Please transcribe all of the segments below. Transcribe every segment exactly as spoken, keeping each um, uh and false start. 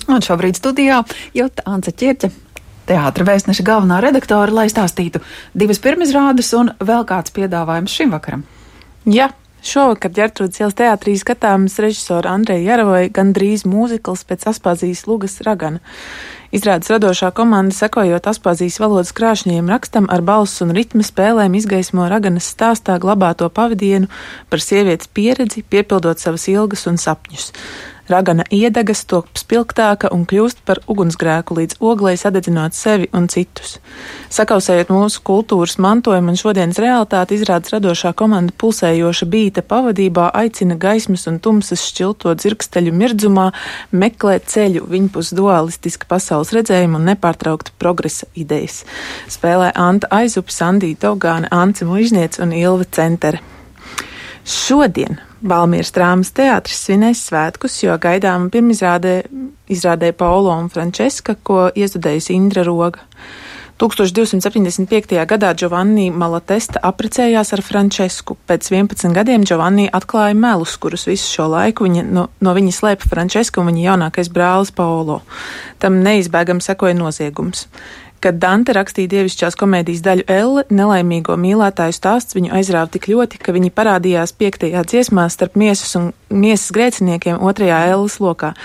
Un šobrīd studijā Jota Ance Ķirce, teātra vēstneša galvenā redaktore, lai stāstītu divas pirmizrādes un vēl kāds piedāvājums šim vakaram. Jā, šovakar Ģertrūdes ielas teātrī skatāms režisora Andreja Jaravoja gandrīz mūzikls pēc Aspazijas Lugas Ragana. Izrādes radošā komanda, sekojot Aspazijas valodas krāšņajiem rakstam, ar balss un ritma spēlēm izgaismo Raganas stāstā glabāto pavadienu par sievietes pieredzi, piepildot savas ilgas un sapņus. Ragana iedegas, top spilgtāka un kļūst par ugunsgrēku līdz oglei sadedzinot sevi un citus. Sakausējot mūsu kultūras mantojumu un šodienas realitāti, izrādes radošā komanda pulsējoša bīta pavadībā aicina gaismas un tumsas šķilto dzirksteļu mirdzumā meklēt ceļu viņpus dualistiska pasaules redzējuma un nepārtraukta progresa idejas. Spēlē Anta Aizupe, Sandija Dogāne, Ance Muižniec un Ilve Centere. Šodien Valmieras drāmas teātris svinēs svētkus, jo gaidām pirmizrādē izrādē Paolo un Frančeska, ko iestudējusi Indra Roga. tūkstoš divsimt septiņdesmit piektajā gadā Giovanni Malatesta apprecējās ar Frančesku. Pēc vienpadsmit gadiem Giovanni atklāja melus, kurus visu šo laiku viņa, no, no viņa slēpa Frančeska un viņa jaunākais brālis Paolo. Tam neizbēgam sekoja noziegums. Kad Dante rakstīja dievišķās komēdijas daļu Elle, nelaimīgo mīlētāju stāsts viņu aizrāva tik ļoti, ka viņi parādījās piektajā dziesmā starp miesas un miesas grēciniekiem otrajā Elles lokā.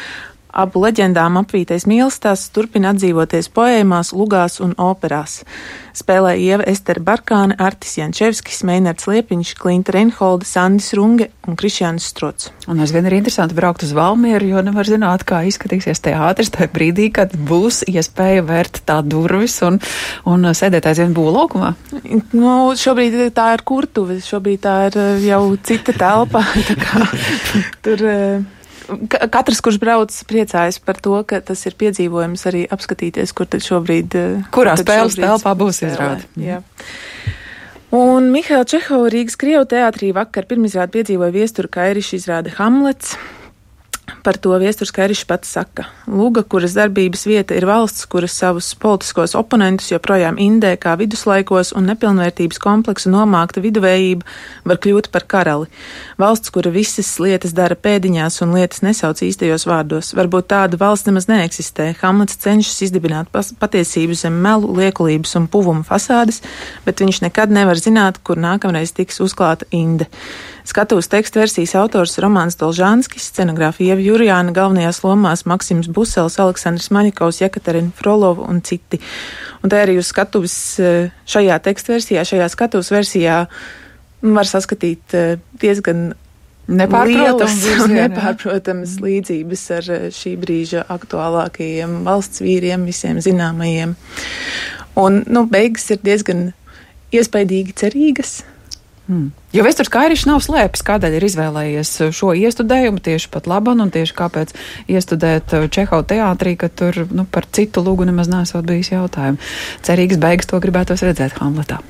Abu leģendām apvītais mīlestāsts turpina atdzīvoties poēmās, lugās un operās. Spēlē Ieva Estere Barkāne, Artis Jančevskis, Meinards Liepiņš, Klinta Reinholde, Sandis Runge un Krišjānis Strots. Un aizvien ir interesanti braukt uz Valmieru, jo nevar zināt, kā izskatīsies teātris tajā brīdī, kad būs iespēja vērt tā durvis un, un sēdēt aizvien būvlaukumā. Nu, šobrīd tā ir kurtuve, šobrīd tā ir jau cita telpa, tā kā tur... Katrs, kurš brauc, priecājas par to, ka tas ir piedzīvojums arī apskatīties, kur tad šobrīd... Kurā spēles telpā būs izrāde. Jā. Un Mihaila Čehova Rīgas Krievu teātrī vakar pirmizrādi piedzīvoja Viestura Kairiša izrāde Hamlets. Par to Viesturs Kairišs pats saka. Luga, kuras darbības vieta ir valsts, kuras savus politiskos oponentus joprojām indē kā viduslaikos un nepilnvērtības kompleksu nomākta viduvējība, var kļūt par karali. Valsts, kura visas lietas dara pēdiņās un lietas nesauc īstajos vārdos. Varbūt tāda valsts nemaz neeksistē. Hamlets cenšas izdibināt patiesību zem melu, liekulības un puvuma fasādes, bet viņš nekad nevar zināt, kur nākamreiz tiks uzklāta inde. Skatuves tekstu versijas autors Romāns Dolžānskis, scenogrāfija Ieva Jurjāna, galvenajās lomās Maksims Busels, Aleksandrs Maņikovs, Jekaterina Frolova un citi. Un tā arī uz skatuves šajā tekstu versijā, šajā skatuves versijā var saskatīt diezgan lielas un nepārprotamas līdzības ar šī brīža aktuālākajiem valsts vīriem, visiem zināmajiem. Un, nu, beigas ir diezgan iespaidīgi cerīgas. Hmm. Jo Viesturs Kairišs nav slēpis, kādēļ ir izvēlējies šo iestudējumu tieši pat laban un tieši kāpēc iestudēt Čehova teātrī, ka tur nu, par citu lugu nemaz nesot bijis jautājumu. Cerīgas beigas to gribētos redzēt Hamletā.